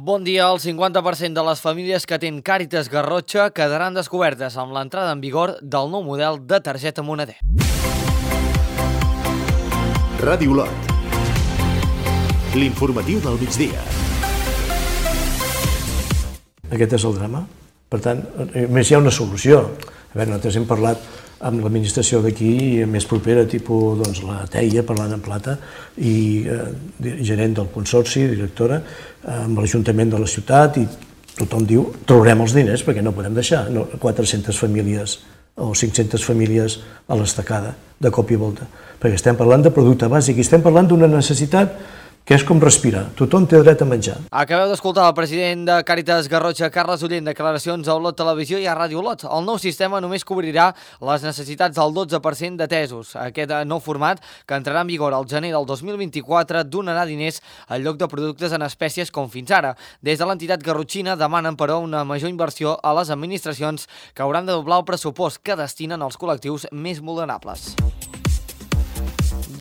Bon dia. El 50% de les famílies que atén Càritas Garrotxa quedaran descobertes amb l'entrada en vigor del nou model de targeta moneder. Ràdio Lot. L'informatiu del migdia. Aquest és el drama. Per tant, més hi ha una solució. A veure, nosaltres hem parlat amb l'administració d'aquí, més propera, tipus la TEIA, parlant en plata, i gerent del consorci, directora, amb l'Ajuntament de la ciutat, i tothom diu, traurem els diners perquè no podem deixar 400 famílies o 500 famílies a l'estacada, de cop i volta. Perquè estem parlant de producte bàsic i estem parlant d'una necessitat que és com respirar. Tothom té dret a menjar. Acabeu d'escoltar el president de Càritas Garrotxa, Carles Uller, en declaracions a Olot Televisió i a Ràdio Olot. El nou sistema només cobrirà les necessitats del 12% d'atesos. Aquest nou format, que entrarà en vigor al gener del 2024, donarà diners en lloc de productes en espècies com fins ara. Des de l'entitat garrotxina demanen, però, una major inversió a les administracions que hauran de doblar el pressupost que destinen als col·lectius més vulnerables.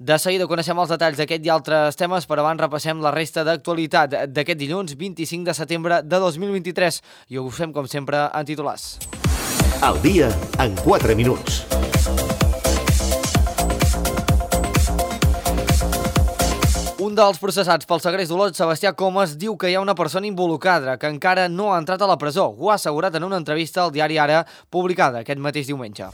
De seguida coneixem els detalls d'aquest i altres temes, però abans repassem la resta d'actualitat d'aquest dilluns 25 de setembre de 2023 i ho fem, com sempre, en titulars. El dia en 4 minuts. Un dels processats pel segrest d'Olot, Sebastià Comas, diu que hi ha una persona involucrada que encara no ha entrat a la presó. Ho ha assegurat en una entrevista al diari Ara, publicada aquest mateix diumenge.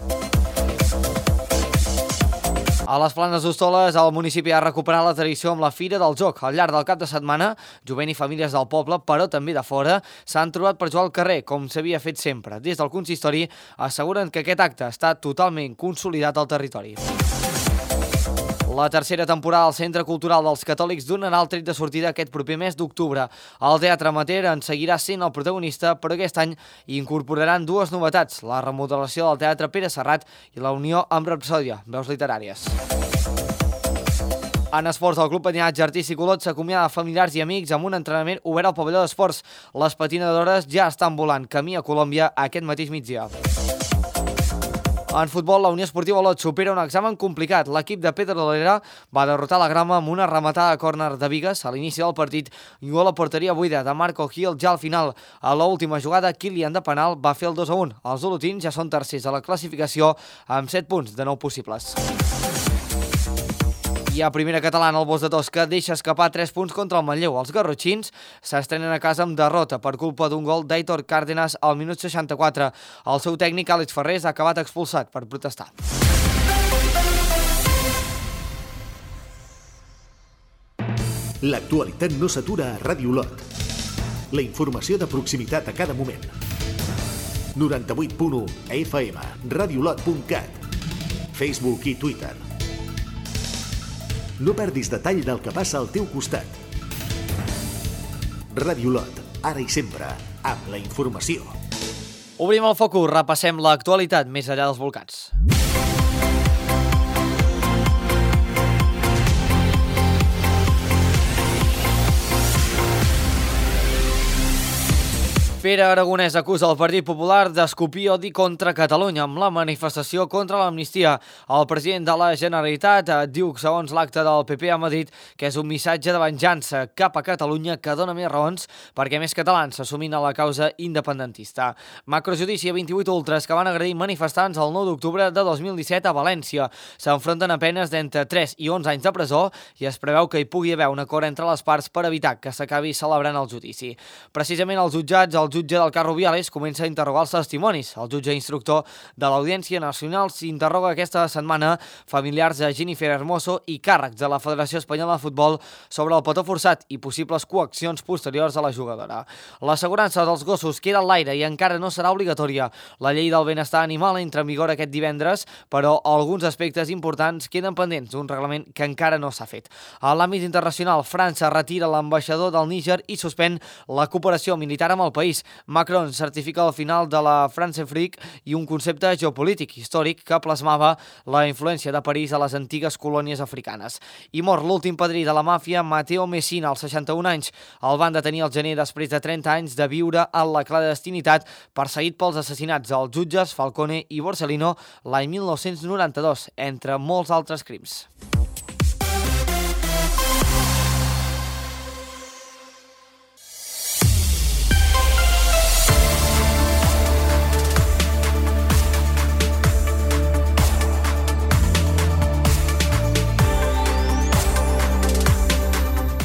A les Planes d'Hostoles, el municipi ha recuperat la tradició amb la Fira del Joc. Al llarg del cap de setmana, jovent i famílies del poble, però també de fora, s'han trobat per jugar al carrer, com s'havia fet sempre. Des del consistori asseguren que aquest acte està totalment consolidat al territori. La tercera temporada al Centre Cultural dels Catòlics donarà el tret de sortida aquest proper mes d'octubre. El Teatre Amateur en seguirà sent el protagonista, però aquest any incorporaran dues novetats, la remodelació del Teatre Pere Serrat i la unió amb Rapsòdia, veus literàries. En esports, el Club Patinatge Artístic Olot s'acomiada de familiars i amics amb un entrenament obert al pavelló d'esports. Les patinadores ja estan volant camí a Colòmbia aquest mateix migdia. En futbol, la Unió Esportiva Olot supera un examen complicat. L'equip de Pedrolera va derrotar la Grama amb una rematada a córner de Bigues a l'inici del partit i gol a porteria buida de Marco Gil ja al final. A l'última jugada, Kilian de penal va fer el 2-1. Els olotins ja són tercers a la classificació amb 7 punts de 9 possibles. I a primera catalana, el Bos de Tosca deixa escapar 3 punts contra el Manlleu. Els garrotxins s'estrenen a casa amb derrota per culpa d'un gol d'Aitor Cárdenas al minut 64. El seu tècnic, Àlex Ferrés, ha acabat expulsat per protestar. L'actualitat no s'atura a Ràdio Lot. La informació de proximitat a cada moment. 98.1 FM, radiolot.cat, Facebook i Twitter. No perdis detall del que passa al teu costat. Ràdio Lot, ara i sempre, amb la informació. Obrim el focus, repassem l'actualitat més enllà dels volcans. Pere Aragonès acusa el Partit Popular d'escopir odi contra Catalunya amb la manifestació contra l'amnistia. El president de la Generalitat diu, segons l'acte del PP a Madrid, que és un missatge de venjança cap a Catalunya que dona més raons perquè més catalans s'assumin a la causa independentista. Macrojudici a 28 ultras que van agredir manifestants el 9 d'octubre de 2017 a València. S'enfronten a penes d'entre 3 i 11 anys de presó i es preveu que hi pugui haver un acord entre les parts per evitar que s'acabi celebrant el judici. Precisament els jutjats, el jutge del cas Rubiales comença a interrogar els testimonis. El jutge instructor de l'Audiència Nacional s'interroga aquesta setmana familiars de Jennifer Hermoso i càrrecs de la Federació Espanyola de Futbol sobre el petó forçat i possibles coaccions posteriors a la jugadora. L'assegurança dels gossos queda a l'aire i encara no serà obligatòria. La llei del benestar animal entra en vigor aquest divendres, però alguns aspectes importants queden pendents d'un reglament que encara no s'ha fet. A l'àmbit internacional, França retira l'ambaixador del Níger i suspèn la cooperació militar amb el país. Macron certifica el final de la Francefrique i un concepte geopolític històric que plasmava la influència de París a les antigues colònies africanes. I mor l'últim padrí de la màfia, Matteo Messina, als 61 anys. El van detenir al gener després de 30 anys de viure en la clandestinitat, perseguit pels assassinats dels jutges Falcone i Borsellino l'any 1992, entre molts altres crims.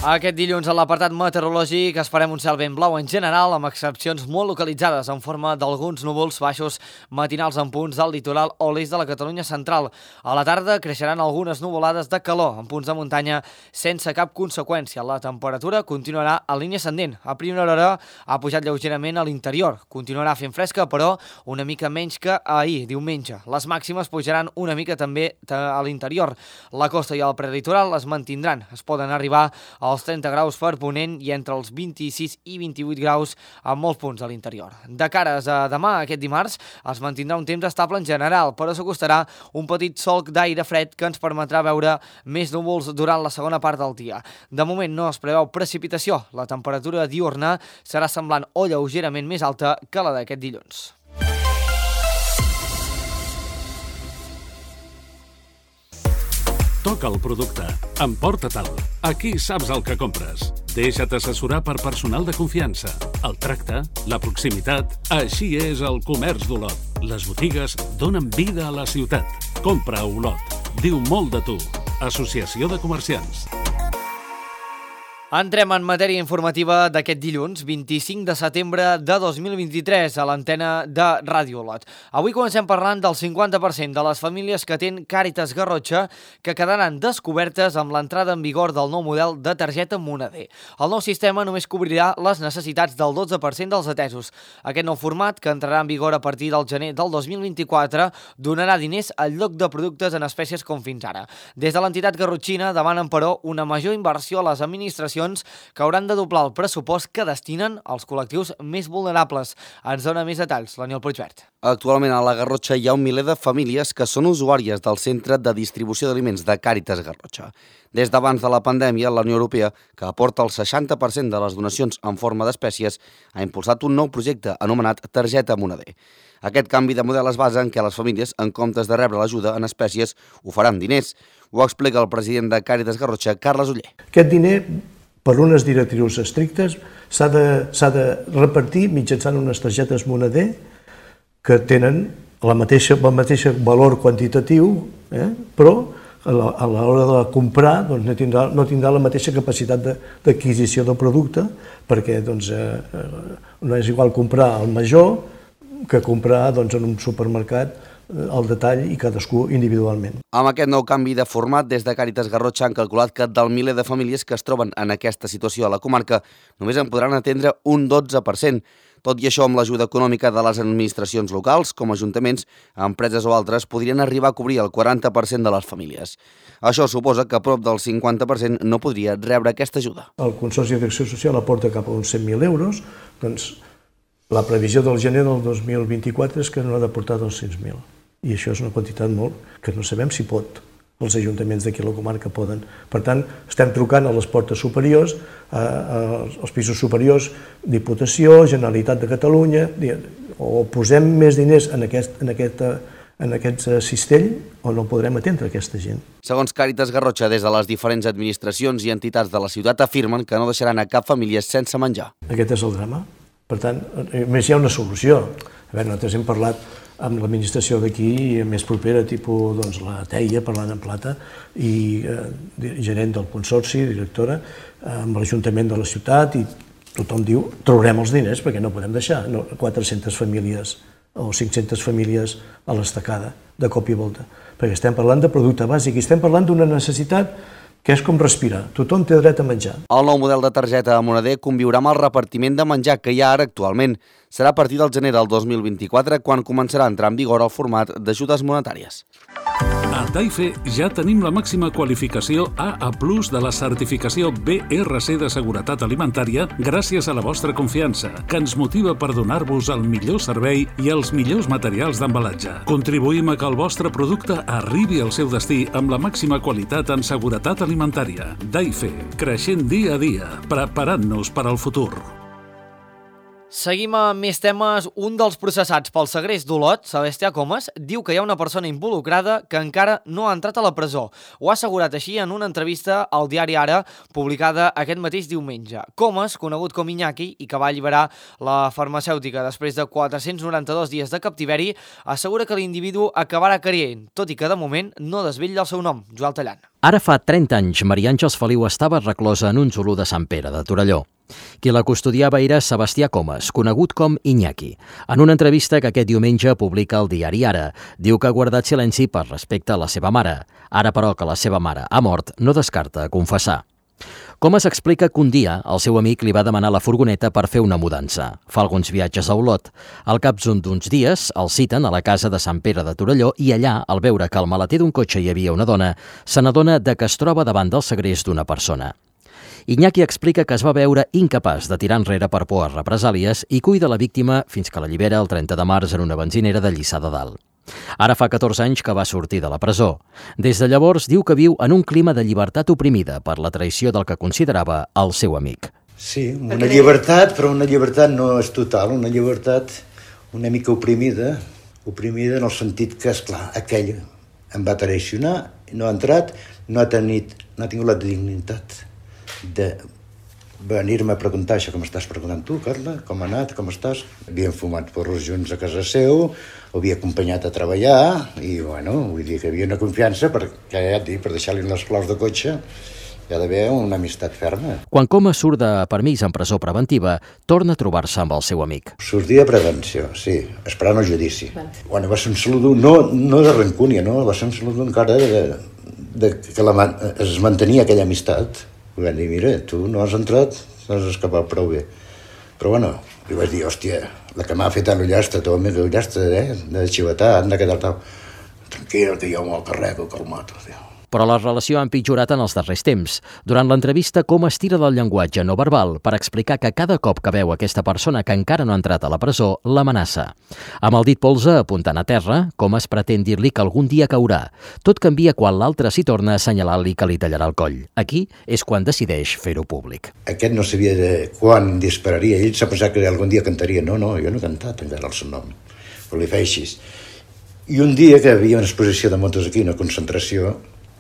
Aquest dilluns a l'apartat meteorològic esperem un cel ben blau en general, amb excepcions molt localitzades en forma d'alguns núvols baixos matinals en punts del litoral o l'est de la Catalunya central. A la tarda creixeran algunes nuvolades de calor en punts de muntanya sense cap conseqüència. La temperatura continuarà a línia ascendent. A primera hora ha pujat lleugerament a l'interior. Continuarà fent fresca, però una mica menys que ahir, diumenge. Les màximes pujaran una mica també a l'interior. La costa i el prelitoral es mantindran. Es poden arribar als 30 graus per ponent i entre els 26 i 28 graus a molts punts de l'interior. De cares a demà, aquest dimarts, es mantindrà un temps estable en general, però s'acostarà un petit solc d'aire fred que ens permetrà veure més núvols durant la segona part del dia. De moment no es preveu precipitació. La temperatura diurna serà semblant o lleugerament més alta que la d'aquest dilluns. Toca el producte. Emporta-te'l. Aquí saps el que compres. Deixa't assessorar per personal de confiança. El tracte, la proximitat... Així és el comerç d'Olot. Les botigues donen vida a la ciutat. Compra a Olot. Diu molt de tu. Associació de Comerciants. Entrem en matèria informativa d'aquest dilluns, 25 de setembre de 2023, a l'antena de Ràdio Olot. Avui comencem parlant del 50% de les famílies que tenen Càritas Garrotxa que quedaran descobertes amb l'entrada en vigor del nou model de targeta moneder. El nou sistema només cobrirà les necessitats del 12% dels atesos. Aquest nou format, que entrarà en vigor a partir del gener del 2024, donarà diners al lloc de productes en espècies com fins ara. Des de l'entitat garrotxina demanen, però, una major inversió a les administracions que hauran de doblar el pressupost que destinen als col·lectius més vulnerables. Ens dona més detalls l'Aniol Puigvert. Actualment a la Garrotxa hi ha un miler de famílies que són usuàries del Centre de Distribució d'Aliments de Càritas Garrotxa. Des d'abans de la pandèmia, la Unió Europea, que aporta el 60% de les donacions en forma d'espècies, ha impulsat un nou projecte anomenat Targeta Moneder. Aquest canvi de model es basa en què les famílies, en comptes de rebre l'ajuda en espècies, ho faran diners. Ho explica el president de Càritas Garrotxa, Carles Oller. Aquest diner, per unes directrius estrictes, s'ha de repartir mitjançant unes targetes moneder que tenen el mateix valor quantitatiu, però a l'hora de comprar no tindrà la mateixa capacitat d'adquisició del producte, perquè no és igual comprar al major que comprar en un supermercat al detall i cadascú individualment. Amb aquest nou canvi de format, des de Càritas Garrotxa han calculat que del miler de famílies que es troben en aquesta situació a la comarca només en podran atendre un 12%. Tot i això, amb l'ajuda econòmica de les administracions locals, com ajuntaments, empreses o altres, podrien arribar a cobrir el 40% de les famílies. Això suposa que prop del 50% no podria rebre aquesta ajuda. El Consorci d'Acció Social aporta cap a uns 100.000 euros, doncs la previsió del gener del 2024 és que no ha d'aportar 200.000. I això és una quantitat molt que no sabem si pot. Els ajuntaments d'aquí a la comarca poden. Per tant, estem trucant a les portes superiors, als pisos superiors, Diputació, Generalitat de Catalunya, o posem més diners en aquest cistell o no podrem atendre aquesta gent. Segons Càritas Garrotxa, des de les diferents administracions i entitats de la ciutat afirmen que no deixaran a cap família sense menjar. Aquest és el drama. Per tant, més hi ha una solució. A veure, nosaltres hem parlat amb l'administració d'aquí més propera, tipus la Teia, parlant en plata, i gerent del consorci, directora, amb l'Ajuntament de la ciutat, i tothom diu, traurem els diners perquè no podem deixar 400 famílies o 500 famílies a l'estacada, de cop i volta. Perquè estem parlant de producte bàsic i estem parlant d'una necessitat que és com respirar. Tothom té dret a menjar. El nou model de targeta moneder conviurà amb el repartiment de menjar que hi ha ara actualment. Serà a partir del gener del 2024 quan començarà a entrar en vigor el format d'ajudes monetàries. A Taife ja tenim la màxima qualificació AA+ de la certificació BRC de seguretat alimentària gràcies a la vostra confiança, que ens motiva per donar-vos el millor servei i els millors materials d'embalatge. Contribuïm a que el vostre producte arribi al seu destí amb la màxima qualitat en seguretat alimentària. Taife, creixent dia a dia, preparant-nos per al futur. Seguim amb més temes. Un dels processats pel segrest d'Olot, Sebastià Comas, diu que hi ha una persona involucrada que encara no ha entrat a la presó. Ho ha assegurat així en una entrevista al diari Ara, publicada aquest mateix diumenge. Comas, conegut com Iñaki i que va alliberar la farmacèutica després de 492 dies de captiveri, assegura que l'individu acabarà caient, tot i que de moment no desvetlla el seu nom, Joel Tallant. Ara fa 30 anys, Maria Àngels Feliu estava reclosa en un zulú de Sant Pere de Torelló. Qui la custodiava era Sebastià Comas, conegut com Iñaki. En una entrevista que aquest diumenge publica el diari Ara, diu que ha guardat silenci per respecte a la seva mare. Ara, però, que la seva mare ha mort, no descarta confessar. Comas explica que un dia el seu amic li va demanar la furgoneta per fer una mudança. Fa alguns viatges a Olot. Al cap d'uns dies el citen a la casa de Sant Pere de Torelló i allà, al veure que al maleter d'un cotxe hi havia una dona, se n'adona que es troba davant del segrest d'una persona. Iñaki explica que es va veure incapaç de tirar enrere per por a represàlies i cuida la víctima fins que la allibera el 30 de març en una benzinera de Lliçà de Dalt. Ara fa 14 anys que va sortir de la presó. Des de llavors diu que viu en un clima de llibertat oprimida per la traïció del que considerava el seu amic. Sí, una llibertat, però una llibertat no és total, una llibertat una mica oprimida en el sentit que, esclar, aquell em va traicionar, no ha entrat, no ha tingut la dignitat de venir-me a preguntar això que m'estàs preguntant tu, Carla, com ha anat, com estàs? Havíem fumat porros junts a casa seu, havia acompanyat a treballar i, bueno, vull dir que hi havia una confiança perquè, ja et dic, per deixar-li les claus de cotxe hi ha d'haver una amistat ferma. Quan Comas surt de permís en presó preventiva, torna a trobar-se amb el seu amic. Sortia de prevenció, sí, esperant el judici. Bueno, va ser un saludo, no de rancúnia, no? Va ser un saludo encara que es mantenia aquella amistat. Vam dir, mira, tu no has entrat, no has escapat prou bé. Però bueno, li vaig dir, hòstia, la que m'ha fet a l'ullastre, tu amic l'ullastre, de xivetar, han de quedar tal. Tranquil, que jo me'l carrego, que el mato, tio. Però la relació ha empitjorat en els darrers temps. Durant l'entrevista, Comas tira del llenguatge no verbal per explicar que cada cop que veu aquesta persona que encara no ha entrat a la presó, l'amenaça. Amb el dit polze apuntant a terra, Comas pretén dir-li que algun dia caurà. Tot canvia quan l'altre s'hi torna a assenyalar-li que li tallarà el coll. Aquí és quan decideix fer-ho públic. Aquest no sabia quan dispararia. Ell s'ha pensat que algun dia cantaria. No, jo no he cantat encara el seu nom. Però li feia així. I un dia que hi havia una exposició de motos aquí, una concentració,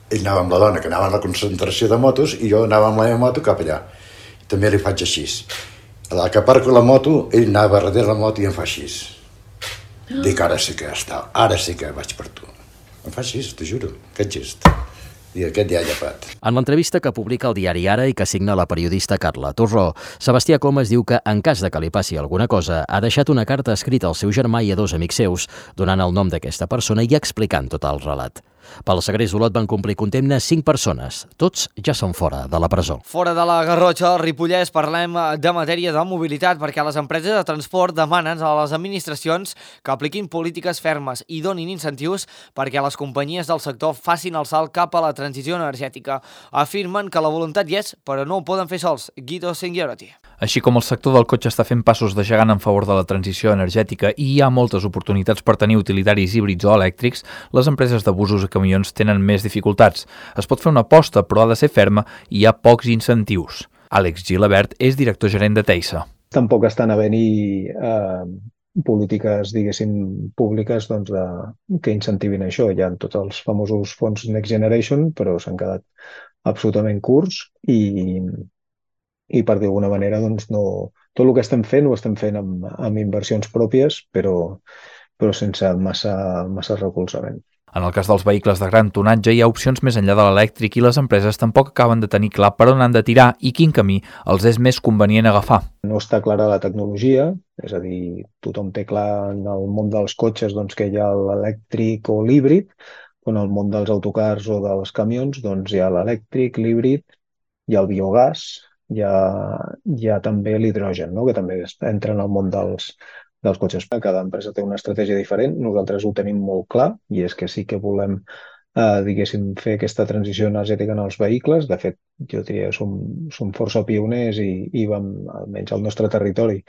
ell anava amb la dona, que anava a la concentració de motos, i jo anava amb la meva moto cap allà. I també li faig així. A la que aparco la moto, ell anava darrere la moto i em fa així. Dic, ara sí que vaig per tu. Em fa així, t'ho juro, aquest gest. I aquest ja ha llepat. En l'entrevista que publica el diari Ara i que signa la periodista Carla Torró, Sebastià Comas diu que, en cas de que li passi alguna cosa, ha deixat una carta escrita al seu germà i a 2 amics seus, donant el nom d'aquesta persona i explicant tot el relat. Pel segrest d'Olot van complir condemna 5 persones. Tots ja són fora de la presó. Fora de la Garrotxa, al Ripollès, parlem de matèria de mobilitat perquè les empreses de transport demanen a les administracions que apliquin polítiques fermes i donin incentius perquè les companyies del sector facin el salt cap a la transició energètica. Afirmen que la voluntat hi és, però no ho poden fer sols. Guido Singhiorati. Així com el sector del cotxe està fent passos de gegant en favor de la transició energètica i hi ha moltes oportunitats per tenir utilitaris híbrids o elèctrics, les empreses de busos i camions tenen més dificultats. Es pot fer una aposta, però ha de ser ferma i hi ha pocs incentius. Àlex Gilabert és director gerent de Teisa. Tampoc estan havent-hi polítiques, diguéssim, públiques que incentivin això. Hi ha tots els famosos fons Next Generation, però s'han quedat absolutament curts i per d'alguna manera no, tot el que estem fent ho estem fent amb inversions pròpies, però sense massa recolzament. En el cas dels vehicles de gran tonatge hi ha opcions més enllà de l'elèctric i les empreses tampoc acaben de tenir clar per on han de tirar i quin camí els és més convenient agafar. No està clara la tecnologia, és a dir, tothom té clar en el món dels cotxes que hi ha l'elèctric o l'híbrid, però en el món dels autocars o dels camions hi ha l'elèctric, l'híbrid, hi ha el biogàs, hi ha també l'hidrogen, que també entra en el món dels cotxes. Cada empresa té una estratègia diferent, nosaltres ho tenim molt clar i és que sí que volem fer aquesta transició energètica en els vehicles. De fet, jo diria que som força pioners i vam, almenys al nostre territori,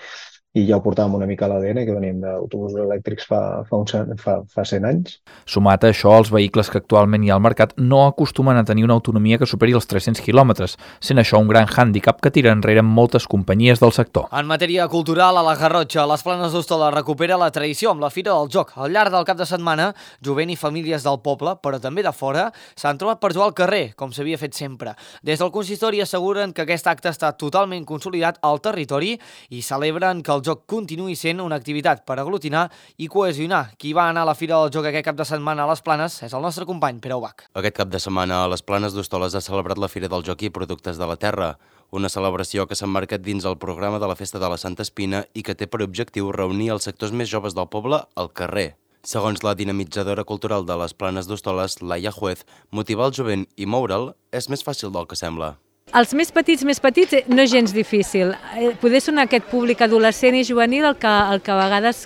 i ja ho portàvem una mica a l'ADN, que veníem d'autobusos elèctrics fa 100 anys. Sumat a això, els vehicles que actualment hi ha al mercat no acostumen a tenir una autonomia que superi els 300 quilòmetres, sent això un gran hàndicap que tira enrere moltes companyies del sector. En matèria cultural, a la Garrotxa, les Planes d'Hostola recupera la tradició amb la Fira del Joc. Al llarg del cap de setmana, jovent i famílies del poble, però també de fora, s'han trobat per jugar al carrer, com s'havia fet sempre. Des del consistori asseguren que aquest acte està totalment consolidat al territori i celebren que el el joc continuï sent una activitat per aglutinar i cohesionar. Qui va anar a la Fira del Joc aquest cap de setmana a les Planes és el nostre company Pere Ubach. Aquest cap de setmana a les Planes d'Hostoles ha celebrat la Fira del Joc i Productes de la Terra, una celebració que s'emmarca dins el programa de la Festa de la Santa Espina i que té per objectiu reunir els sectors més joves del poble al carrer. Segons la dinamitzadora cultural de les Planes d'Hostoles, Laia Juez, motivar el jovent i moure'l és més fàcil del que sembla. Els més petits no és gens difícil. Poder sonar aquest públic adolescent i juvenil el que a vegades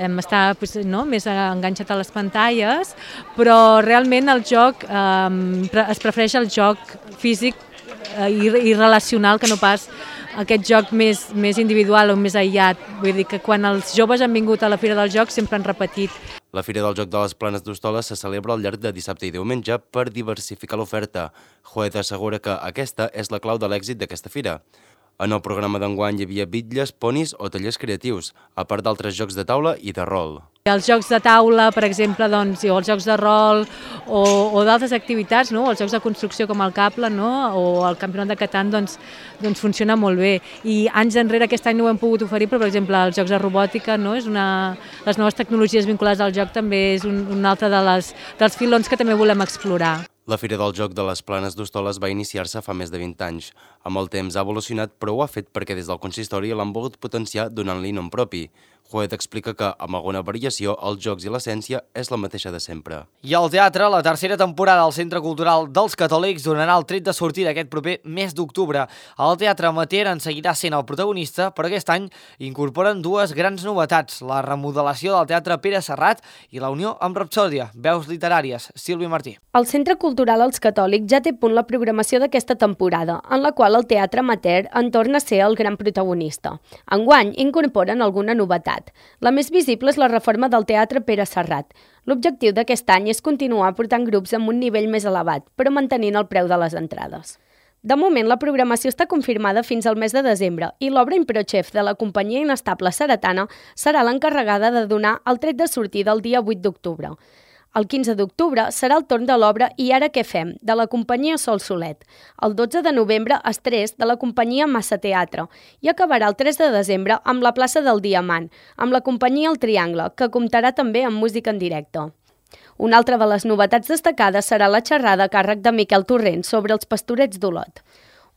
està més enganxat a les pantalles, però realment el joc es prefereix el joc físic i relacional que no pas aquest joc més individual o més aïllat. Vull dir que quan els joves han vingut a la Fira del Joc sempre han repetit. La Fira del Joc de les Planes d'Hostoles se celebra al llarg de dissabte i diumenge per diversificar l'oferta. Juez assegura que aquesta és la clau de l'èxit d'aquesta fira. En el programa d'enguany hi havia bitlles, ponis o tallers creatius, a part d'altres jocs de taula i de rol. Els jocs de taula, per exemple, o els jocs de rol o d'altres activitats, els jocs de construcció com el Cable o el Campionat de Catan, doncs funciona molt bé. I anys enrere aquest any no ho hem pogut oferir, però per exemple els jocs de robòtica, les noves tecnologies vinculades al joc també és un altre dels filons que també volem explorar. La Fira del Joc de les Planes d'Hostoles va iniciar-se fa més de 20 anys. Amb el temps ha evolucionat, però ho ha fet perquè des del consistori l'han volgut potenciar donant-li nom propi. Juez explica que, amb alguna variació, els jocs i l'essència és la mateixa de sempre. I al teatre, la tercera temporada del Centre Cultural dels Catòlics donarà el tret de sortida aquest proper mes d'octubre. El Teatre Amateur en seguirà sent el protagonista, però aquest any incorporen dues grans novetats, la remodelació del Teatre Pere Serrat i la unió amb Rapsòdia, veus literàries. Sílvia Martí. El Centre Cultural Els Catòlics ja té a punt la programació d'aquesta temporada, en la qual el Teatre Amateur en torna a ser el gran protagonista. Enguany incorporen alguna novetat. La més visible és la reforma del Teatre Pere Serrat. L'objectiu d'aquest any és continuar portant grups amb un nivell més elevat, però mantenint el preu de les entrades. De moment, la programació està confirmada fins al mes de desembre i l'obra Improchef de la companyia inestable seretana serà l'encarregada de donar el tret de sortida el dia 8 d'octubre. El 15 d'octubre serà el torn de l'obra I ara què fem, de la companyia Sol Solet. El 12 de novembre, Estrès, de la companyia Massa Teatre. I acabarà el 3 de desembre amb la plaça del Diamant, amb la companyia El Triangle, que comptarà també amb música en directe. Una altra de les novetats destacades serà la xerrada a càrrec de Miquel Torrent sobre els pastorets d'Olot.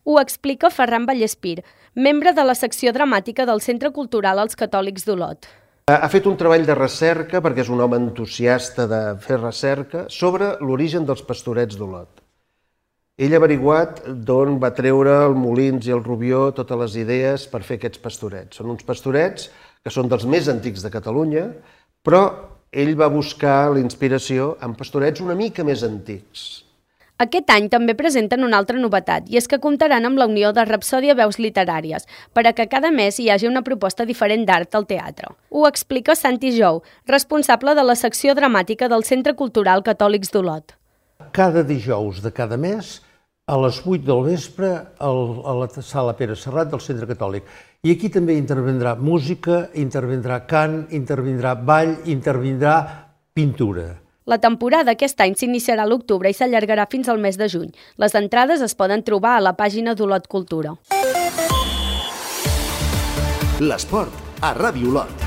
Ho explica Ferran Vallespir, membre de la secció dramàtica del Centre Cultural Els Catòlics d'Olot. Ha fet un treball de recerca, perquè és un home entusiasta de fer recerca, sobre l'origen dels pastorets d'Olot. Ell ha averiguat d'on va treure el Molins i el Rubió totes les idees per fer aquests pastorets. Són uns pastorets que són dels més antics de Catalunya, però ell va buscar la inspiració en pastorets una mica més antics. Aquest any també presenten una altra novetat, i és que comptaran amb la unió de Rapsòdia Veus Literàries, per a que cada mes hi hagi una proposta diferent d'art al teatre. Ho explica Santi Jou, responsable de la secció dramàtica del Centre Cultural Catòlics d'Olot. Cada dijous de cada mes, a les 8 del vespre, a la sala Pere Serrat del Centre Catòlic. I aquí també intervindrà música, intervindrà cant, intervindrà ball, intervindrà pintura. La temporada aquest any s'iniciarà a l'octubre i s'allargarà fins al mes de juny. Les entrades es poden trobar a la pàgina d'Olot Cultura. L'esport a Ràdio Olot.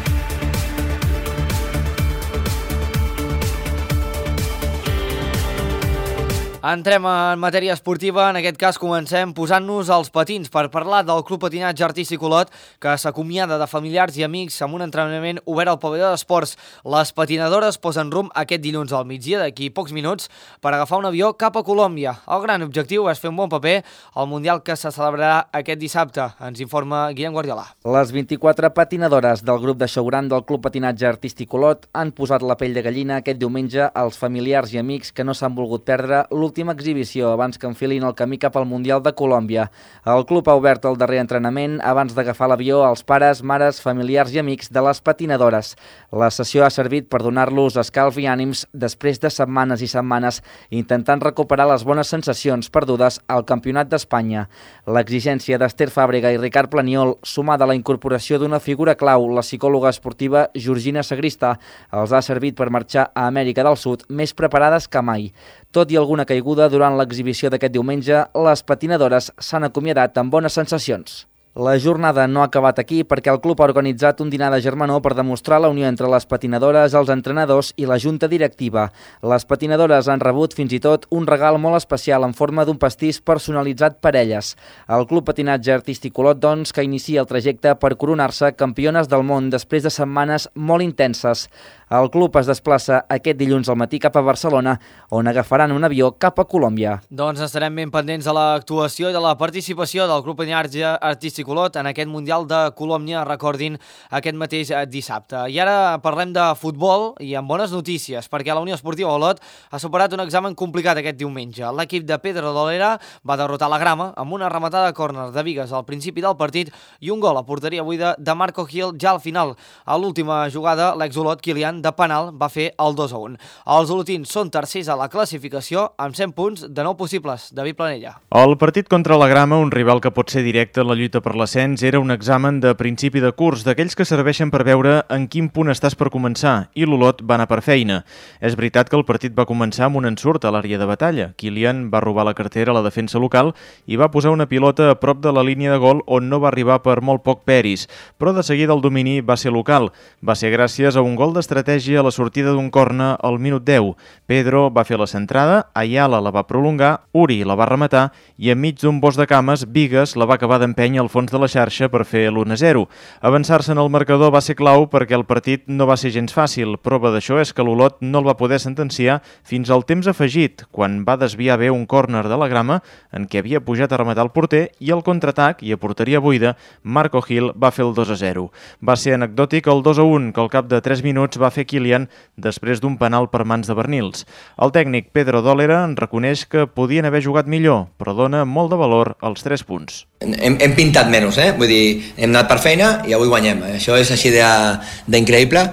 Entrem en matèria esportiva, en aquest cas comencem posant-nos als patins per parlar del Club Patinatge Artístic Olot, que s'acomiada de familiars i amics amb un entrenament obert al pavelló d'esports. Les patinadores posen rumb aquest dilluns al migdia, d'aquí pocs minuts, per agafar un avió cap a Colòmbia. El gran objectiu és fer un bon paper al Mundial que se celebrarà aquest dissabte. Ens informa Guillem Guardiola. Les 24 patinadores del grup de Xauran del Club Patinatge Artístic Olot han posat la pell de gallina aquest diumenge als familiars i amics que no s'han volgut perdre l'última exhibició abans que enfilin el camí cap al Mundial de Colòmbia. El club ha obert el darrer entrenament abans d'agafar l'avió als pares, mares, familiars i amics de les patinadores. La sessió ha servit per donar-los escalf i ànims després de setmanes i setmanes intentant recuperar les bones sensacions perdudes al Campionat d'Espanya. L'exigència d'Ester Fàbrega i Ricard Planiol, sumada a la incorporació d'una figura clau, la psicòloga esportiva Georgina Sagrista, els ha servit per marxar a Amèrica del Sud més preparades que mai. Tot i alguna caiguda durant l'exhibició d'aquest diumenge, les patinadores s'han acomiadat amb bones sensacions. La jornada no ha acabat aquí perquè el club ha organitzat un dinar de germanor per demostrar la unió entre les patinadores, els entrenadors i la junta directiva. Les patinadores han rebut fins i tot un regal molt especial en forma d'un pastís personalitzat per elles. El Club Patinatge Artístic Olot, doncs, que inicia el trajecte per coronar-se campiones del món després de setmanes molt intenses. El club es desplaça aquest dilluns al matí cap a Barcelona, on agafaran un avió cap a Colòmbia. Doncs estarem ben pendents de l'actuació i de la participació del Club Patinatge Artístic Olot en aquest Mundial de Colòmbia, recordin, aquest mateix dissabte. I ara parlem de futbol i amb bones notícies, perquè la Unió Esportiva Olot ha superat un examen complicat aquest diumenge. L'equip de Pedro Dolera va derrotar la Grama amb una rematada a córner de Bigues al principi del partit i un gol a porteria buida de Marco Gil ja al final. A l'última jugada, l'ex-Olot Kilian de penal va fer el 2-1. Els olotins són tercers a la classificació amb 100 punts de 9 possibles. David Planella. El partit contra la Grama, un rival que pot ser directe en la lluita per l'ascens, era un examen de principi de curs, d'aquells que serveixen per veure en quin punt estàs per començar, i l'Olot va anar per feina. És veritat que el partit va començar amb un ensurt a l'àrea de batalla. Kilian va robar la cartera a la defensa local i va posar una pilota a prop de la línia de gol on no va arribar per molt poc Peris, però de seguida el domini va ser local. Va ser gràcies a un gol d'estratègia a la sortida d'un corna al minut 10. Pedro va fer la centrada, Ayala la va prolongar, Uri la va rematar i enmig d'un bosc de cames, Bigues la va acabar d'empènyer al fons de la xarxa per fer l'1-0. Avançar-se en el marcador va ser clau perquè el partit no va ser gens fàcil. Prova d'això és que l'Olot no el va poder sentenciar fins al temps afegit, quan va desviar bé un córner de la Grama en què havia pujat a rematar el porter i al contraatac i a porteria buida, Marco Gil va fer el 2-0. Va ser anecdòtic el 2-1 que al cap de 3 minuts va fer Kilian després d'un penal per mans de Bernils. El tècnic Pedro Dolera en reconeix que podien haver jugat millor, però dona molt de valor als 3 punts. Hem pintat menys, vull dir, hem anat per feina i avui guanyem. Això és així d'increïble,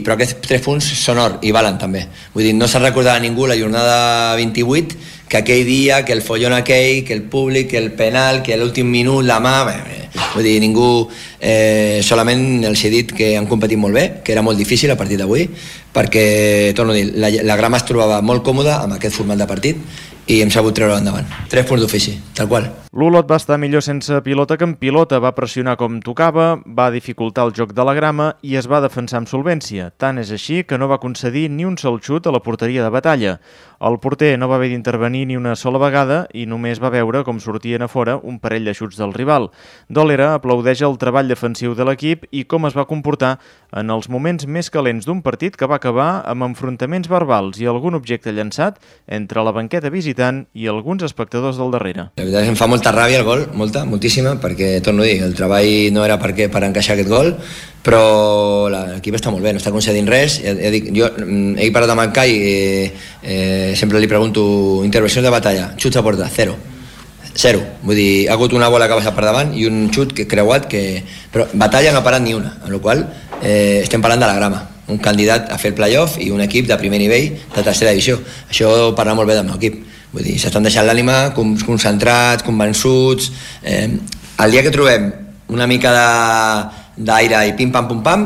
però aquests 3 punts són or i valen també. Vull dir, no se'n recordarà ningú la jornada 28 que aquell dia, que el follon aquell, que el públic, que el penal, que l'últim minut, la mà... Vull dir, ningú... solament els he dit que han competit molt bé, que era molt difícil a partir d'avui, perquè, torno a dir, la Grama es trobava molt còmoda amb aquest format de partit i hem sabut treure endavant. 3 punts d'ofici, tal qual. L'Olot va estar millor sense pilota que amb pilota, va pressionar com tocava, va dificultar el joc de la Grama i es va defensar amb solvència. Tant és així que no va concedir ni un sol xut a la porteria de batalla. El porter no va haver d'intervenir ni una sola vegada i només va veure com sortien a fora un parell de xuts del rival. Dolera aplaudeix el treball defensiu de l'equip i com es va comportar en els moments més calents d'un partit que va acabar amb enfrontaments verbals i algun objecte llançat entre la banqueta visitant i alguns espectadors del darrere. La veritat és que em fa molta ràbia el gol, moltíssima, perquè, torno a dir, el treball no era per encaixar aquest gol, però l'equip està molt bé, no està concedint res. Jo he parlat amb el Cai i sempre li pregunto intervencions de batalla, xuts a porta, 0. Vull dir, ha hagut una bola que ha passat per davant i un xut creuat, però batalla no ha parat ni una, amb la qual estem parlant de la Grama, un candidat a fer el playoff i un equip de primer nivell de tercera divisió. Això parla molt bé del meu equip. Vull dir, s'estan deixant l'ànima, concentrats, convençuts. El dia que trobem una mica d'aire i pim-pam, pum-pam,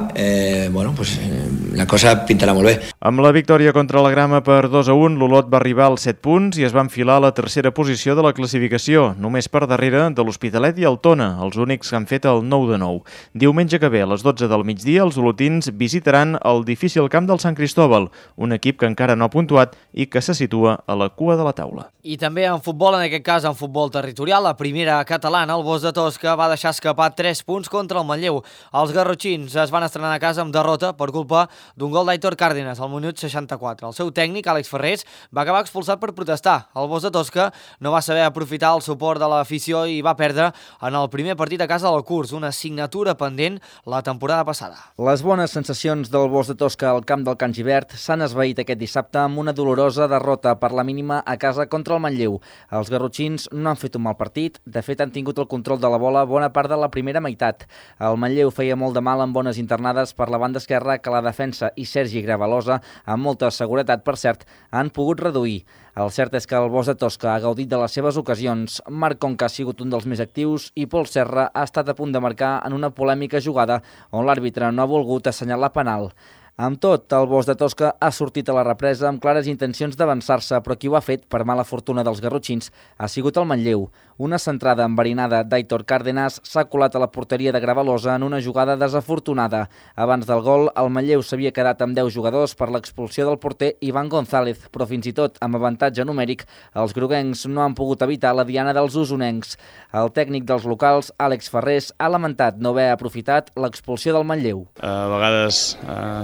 la cosa pintarà molt bé. Amb la victòria contra la Grama per 2-1, l'Olot va arribar als 7 punts i es va enfilar a la tercera posició de la classificació, només per darrere de l'Hospitalet i el Tona, els únics que han fet el 9-9. Diumenge que ve, a les 12 del migdia, els olotins visitaran el difícil camp del Sant Cristóbal, un equip que encara no ha puntuat i que se situa a la cua de la taula. I també en futbol, en aquest cas en futbol territorial, la primera catalana, el Bosc de Tosca, va deixar escapar 3 punts contra el Manlleu. Els garrotxins es van estrenar a casa amb derrota per culpa d'un gol d'Aitor Cárdenas al minut 64. El seu tècnic, Àlex Ferrés, va acabar expulsat per protestar. El Bosc de Tosca no va saber aprofitar el suport de l'afició i va perdre en el primer partit a casa del curs, una assignatura pendent la temporada passada. Les bones sensacions del Bosc de Tosca al camp del Can Gibert s'han esvaït aquest dissabte amb una dolorosa derrota per la mínima a casa contra el Manlleu. Els garrotxins no han fet un mal partit, de fet han tingut el control de la bola bona part de la primera meitat. El Manlleu feia molt de mal amb bones internades per la banda esquerra que la defensa i Sergi Gravalosa, amb molta seguretat per cert, han pogut reduir. El cert és que el Bosc de Tosca ha gaudit de les seves ocasions. Marc Conca ha sigut un dels més actius i Pol Serra ha estat a punt de marcar en una polèmica jugada on l'àrbitre no ha volgut assenyalar penal. Amb tot, el Bosc de Tosca ha sortit a la represa amb clares intencions d'avançar-se, però qui ho ha fet, per mala fortuna dels garrotxins, ha sigut el Manlleu. Una centrada enverinada d'Aitor Cárdenas s'ha colat a la porteria de Gravalosa en una jugada desafortunada. Abans del gol, el Manlleu s'havia quedat amb 10 jugadors per l'expulsió del porter Ivan González, però fins i tot amb avantatge numèric, els groguencs no han pogut evitar la diana dels usonencs. El tècnic dels locals, Àlex Ferrés, ha lamentat no haver aprofitat l'expulsió del Manlleu. A vegades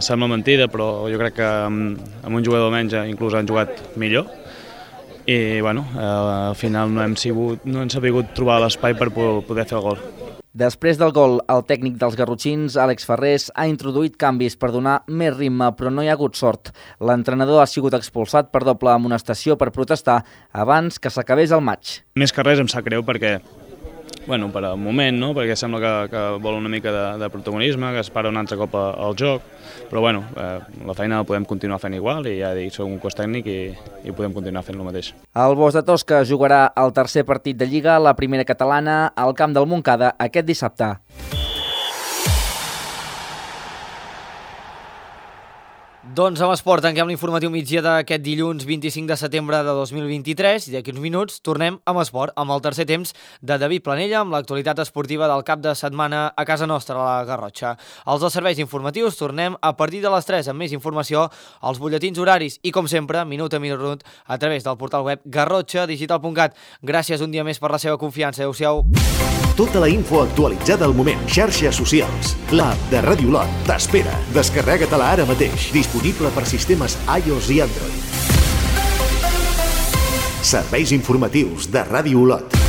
sembla mentida, però jo crec que amb un jugador menys inclús han jugat millor. I bueno, al final no hem sabut trobar l'espai per poder fer el gol. Després del gol, el tècnic dels garrotxins, Àlex Ferrés, ha introduït canvis per donar més ritme, però no hi ha hagut sort. L'entrenador ha sigut expulsat per doble amonestació per protestar abans que s'acabés el maig. Més que res em sap greu perquè, bueno, per al moment, no? Perquè sembla que vol una mica de protagonisme, que es para un altre cop al joc, però bueno, la feina la podem continuar fent igual i ja dic, soc un cos tècnic i podem continuar fent el mateix. El Bosch de Tosca jugarà el tercer partit de Lliga, la primera catalana, al camp del Montcada aquest dissabte. Doncs amb esport tanquem l'informatiu migdia d'aquest dilluns 25 de setembre de 2023 i d'aquí uns minuts tornem amb esport, amb el tercer temps de David Planella amb l'actualitat esportiva del cap de setmana a casa nostra, a la Garrotxa. Els dels serveis informatius tornem a partir de les 3 amb més informació, als butlletins horaris i com sempre, minut a minut, a través del portal web garrotxadigital.cat. Gràcies un dia més per la seva confiança. Adéu-siau. Tota la info actualitzada al moment. Xarxes socials. L'app de Ràdio Olot t'espera. Descarrega-te-la ara mateix. Disponible per sistemes iOS i Android. Serveis informatius de Ràdio Olot.